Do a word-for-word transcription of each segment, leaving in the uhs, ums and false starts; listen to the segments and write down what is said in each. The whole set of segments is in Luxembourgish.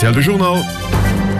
R T L de Journal,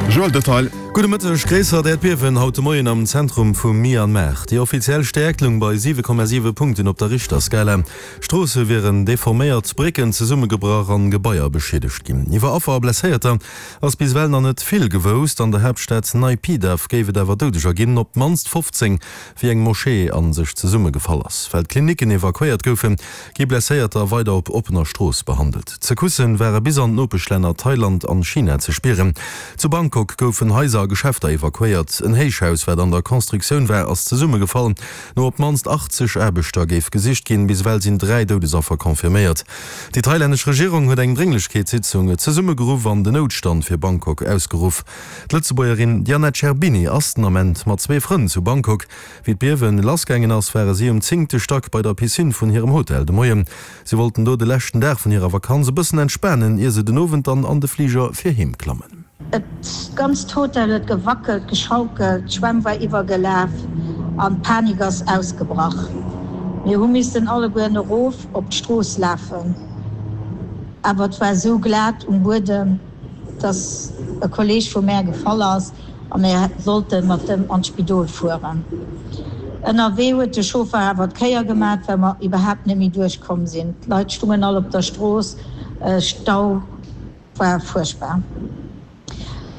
Joël Detail. Gudde Mëtteg, Gréissert Äerdbiewen haut de Moien am Zentrum vu Myanmar. Déi offiziell Stäerkt loung bei siwe Komma siwe Punkten op der Richterskala. Stroosse wieren deforméiert, Brécken zesummegebrach an Gebaier beschiedegt ginn. Iwwer Affer a Blesséierter ass bis ewell nach net vill gewousst. An der Haaptstad Naypyidaw géif et awer Doudeger ginn, op d'mannst fofzéng, wéi eng Moschee a sech zesummegefall ass. Well d'Klinicken evakuéiert goufen, gi Blesséierter weider op oppener Strooss behandelt. D'Secousse ware bis an d'Nopeschlänner Thailand an China ze spieren. Zu Bangkok goufen Haiser a Geschäfter evakuéiert. En Héichhaus, wat an der Constructioun war, ass zesummegefall. No op d'mannst achtzeg Aarbechter géif gesicht ginn. Bis ewell sinn dräi Doudesaffer confirméiert. Déi thailännesch Regierung huet eng Drénglechkeetssitzung zesummegeruff an den Noutstand fir Bangkok ausgeruff. D'Lëtzebuergerin Diana Cerbini ass den Ament mat zwee Frënn zu Bangkok. Wéi d'Biewen lassgaangen ass, ware si um zéngte Stack bei der Piscine vun hirem Hotel de Moien. Si wollten do de leschten Dag vun hirer Vakanz e bëssen entspanen, ier se den Owend dann an de Fliger fir heem klammen. Et ganzt Hotel huet gewackelt, geschaukelt, d'Schwämm war iwwergelaf an d'Panik ass ausgebrach. Mir hu missen allegueren erof op d'Strooss lafen, awer et war esou glat um Buedem, dass e Kolleeg vu mär gefall ass a mir sollte mat em an d'Spidol fueren. Ënnerwee huet de Chauffer awer d'Kéier gemat, well mer iwwerhaapt net méi duerchkomm sinn. D'Leit stungen all op der Strooss, Stau war fuerchtbar.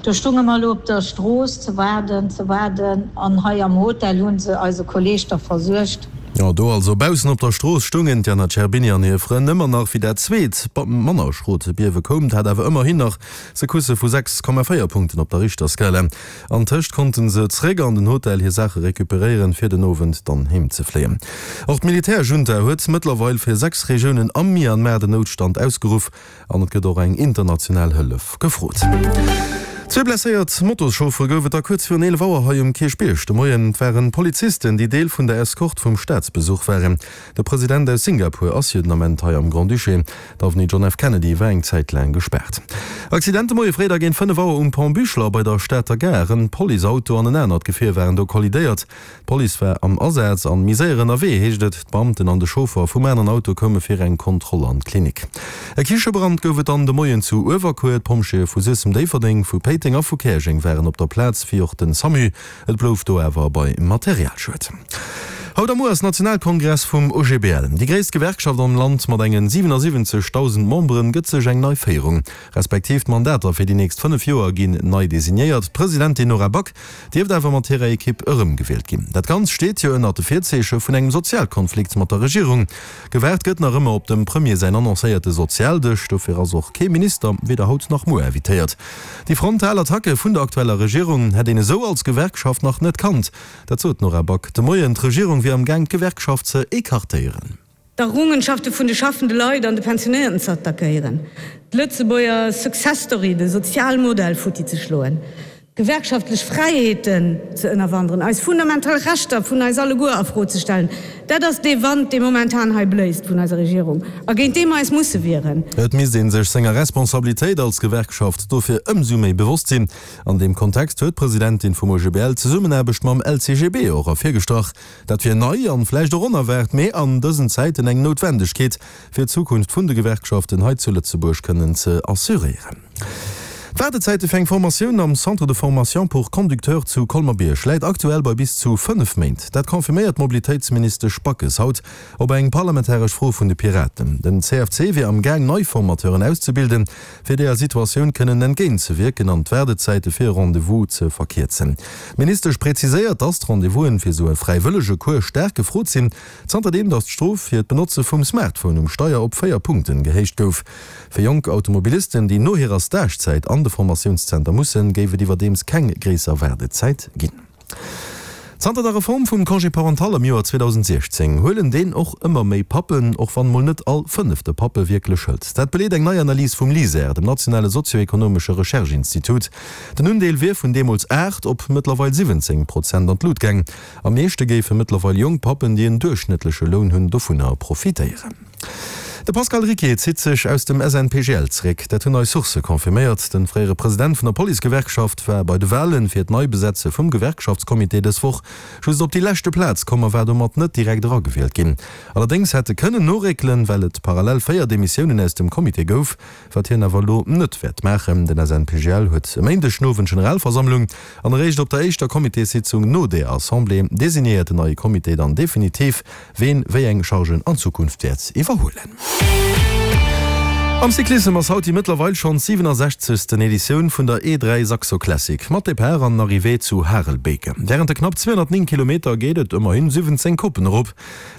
Do stunge mer elo op der Strooss ze waarden, ze waarden an hei am Hotel hu se eise Kolleeg da versuergt. Jo, do also baussen op der Strooss stungen d'Jana Cerbini an hir Frënn ëmmer nach, wéi dat zweet, manner schrot Biewe koum. 't hat awer ëmmerhin nach Secousse vu sechs Komma véier Punkten op der Richterskala. Antëscht konnte se zeréck an den Hotel hir Saache recuperéieren, fir den Owend dann heem ze fléien. Och d'Militärjunta huet mëttlerweil fir sechs Regiounen am Myanmar den Noutstand ausgeruff an et gëtt och eng international Hëllef gefrot. Zwee blesséiert Motoschauffere gouf et da kuerz virun eelef Auer hei um Kierchbierg de Moien. Et waren Polizisten, déi Deel vun der Eskort vum Staatsbesuch waren. De President aus Singapur ass jo den Ament hei am Grand-Duché. D'Avenue John F. Kennedy war eng Zäit laang gespaart. Accident de Moie fréi da géint fënnef Auer um Pont Buchler bei der Stater Gare. En Policeauto an en anert Gefier waren do kollidéiert. D'Police war am Asaz an méi séier ënnerwee, heescht et. D'Beamten an de Chauffer vum aneren Auto koume fir eng Kontroll an d'Klinik. E Kichebrand gouf et dann de Moien zu Uewerkuer. D'Pompjeeë vu Suessem-Déifferdeng, vu Péiteng a vu Käerjeng waren op der Plaz, wéi och den SAMU. Et blouf do awer bei Materialschued. Haut a muer ass Nationalkongress vum O G B L. Déi gréisst Gewerkschaft am Land mat engen siwenasiwwenzegdausend Memberen gëtt sech eng nei Féierung, respektiv d'Mandater fir déi nächst fënnef Joer ginn nei designéiert. D'Presidentin Nora Back dierft awer mat hirer Ekipp erëmgewielt ginn. Dat Ganzt steet jo ënnert de Virzeeche vun engem Sozialkonflikt mat der Regierung. Gewaart gëtt nach ëmmer op dem Premier säin annoncéierte Sozialdësch. Dofir ass och kee Minister weder haut nach muer invitéiert. Déi frontal Attacke vun der aktueller Regierung hätt een esou als Gewerkschaft nach net kannt. Dat sot d'Nora Back de Moien. D'Regierung wier am Gaang d'Gewerkschaft ze écartéieren. D'Errungenschafte vun de schaffende Leit an de Pensionéierten ze attackéieren, d'Lëtzebuerger Success Story, de Sozialmodell futti ze schloen, d'gewerkschaftlech Fräiheeten ze ënnerwanderen, eis fundamental Rechter vun eis alleguer a Fro ze stellen, dat ass dee Wand, dee momentan hei bléist vun eiser Regierung a géint dee mer eis musse wieren. Et misst ee sech senger Responsabilitéit als Gewerkschaft dofir ëmsou méi bewosst sinn. An deem Kontext huet d'Presidentin vum O G B L d'Zesummenaarbecht mam L C G B och ervirgestrach. Dat wier nei an vläicht och onerwaart, mee an dësen Zäiten eng Noutwendegkeet, fir d'Zukunft vun de Gewerkschaften hei zu Lëtzebuerg kënnen ze assuréieren. D'Waardezäite fir eng Formatioun am Centre de formation pour conducteurs zu Colmer-Bierg läit aktuell bei bis zu fënnef Méint. Dat confirméiert d'Mobilitéitsministesch Backes haut op eng parlamentaresch Fro vun de Piraten. Den C F C wier am Gaang, nei Formateuren auszebilden, fir deeër Situatioun kënnen entgéintzewierken an d'Waardezäite fir e Rendez-vous ze verkierzen. D'Ministesch präziséiert, dass d'Rendez-vousen fir esou e fräiwëllege Cours staark gefrot sinn, zanterdeem dass d'Strof fir d'Benotze vum Smartphone um Steier op véier Punkten gehéicht gouf. Fir jonk Automobilisten, déi no hirer Stagezäit an de Formatiounszenter mussen, géif et iwwerdeems keng gréisser Waardezäit ginn. Zanter der Reform vum Congé parental am Joer zweedausendsechzéng huelen deen och ëmmer méi Pappen, och wann mol net all fënnefte Pappe wierklech hëlt. Dat beleet eng nei Analys vum LISER, dem nationale sozioekonomesche Recherche-Institut. Den Undeel wier vun deemools aacht op mëttlerweil siwwenzéng Prozent an d'Lut gaang. Am meeschte géife mëttlerweil jonk Pappen, déi en duerchschnëttleche Loun hunn, dovunner profitéieren. De Pascal Ricquier zitt sech aus dem SNPGL zeréck. Dat hunn eis Sourcë confirméiert. De fréiere President vun der Policegewerkschaft war bei de Walen fir d'Neibesetze vum Gewerkschaftscomité dës Woch just op déi leschte Plaz komm a war domat net direkt eragewielt ginn. Allerdéngs hätt e kënnen noréckelen, well et parallel véier Demissiounen aus dem Comité gouf, wat hien awer elo net wäert maachen. Den SNPGL huet e Méindeg den Owend Generalversammlung an eréischt op der éischter Comitéssitzung no där Assemblée designéiert den neie Comité dann definitiv, ween wéi eng Chargen an Zukunft wäert iwwerhuelen. Am Cyclissem ass haut déi mëttlerweil schonn siwenasechzegsten Editioun vun der E dräi Saxo Classic mat Depart an Arrivée zu Harelbeke. Wärend de knapp zweehonnertnéng Kilometer geet et ëmmerhin siwwenzéng Koppen erop.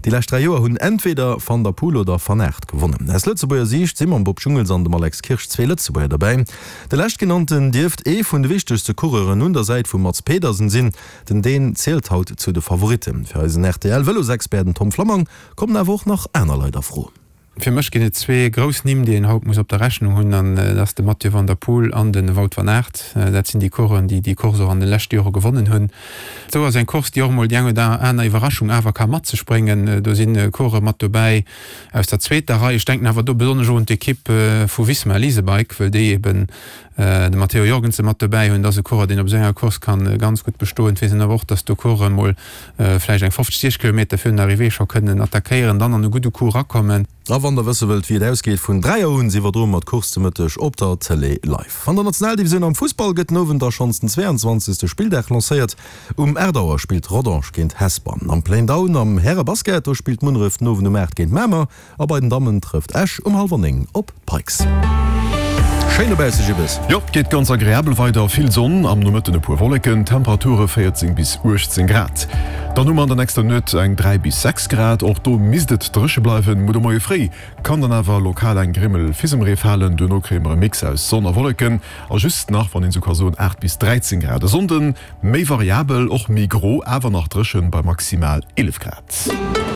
Déi lescht dräi Joer hunn entweder Van der Poel oder Van Aert gewonnen. Aus Lëtzebuerger Siicht si mam Bob Jungels an dem Alex Kirsch zwee Lëtzebuerger derbäi. De leschtgenannten dierft ee vun de wichtegste Coureuren un der Säit vum Mads Pedersen sinn. Den Dän zielt haut zu de Favoritten. Fir eisen R T L-Vëlosexpert, den Tom Flammang, kommen awer och nach aner Leit a Fro. Fir mech ginn et zwee grouss Nimm, déi een haut muss op der Rechnung hunn, an dat ass de Mathieu van der Poel an de Wout van Aert. Dat sinn déi Coureuren, déi déi Course och an de leschte Jore gewonnen hunn. Esou ass eng Course, déi och emol déi eng oder aner Iwwerraschung awer ka mat sech bréngen. Do si Coureure mat dobäi aus der zweeter Rei. Ech denken awer do besonnesch och un d'Ekipp vu Visma Lease a Bike, well déi eben de Matteo Jorgensen mat dobäi hunn. Dat ass e Coureur, deen op esou enger Course ka ganz gutt bestoen. Et weess een awer och, datt do Coureuren emol vläicht eng fofzeg, siechzeg Kilometer virun der Arrivée scho kënnen attackéieren, dann an e gudde Coup erakommen. A wann der wësse wëllt wéi et ausgeet, vun dräi Auer un si iwwerdroe mer d'Course de Mëtteg op der Tëlee live. An der Nationaldivisioun am Fussball gëtt den Owend da schonns den zweeanzwanzegste Spilldag lancéiert. Um aacht Auer spillt Rodange géint Hesper. Am Play-Down am Härebasket, do spillt Munneref den Owend um aacht géint Mamer a bei den Dammen trëfft Esch um hallwer néng op d'Pikes. Schéin dobausse, Jibbes. Jo, geet ganz agreabel weider, vill Sonn, am Nomëtten e puer Wolleken, Temperature véierzéng bis uechtzéng Grad. Dann hu mer an der nächster Nuet eng dräi bis sechs Grad, och do misst et dréche bleiwen. Muer de Moie fréi kann dann awer lokal eng Grimmel Fisemree falen, duerno kréie mer e Mix aus Sonn a Wolleken a just nach, wann een esou ka soen, aacht bis dräizéng Grad. E Sonnden méi variabel, och méi gro, awer nach dréchen bei maximal eelef Grad.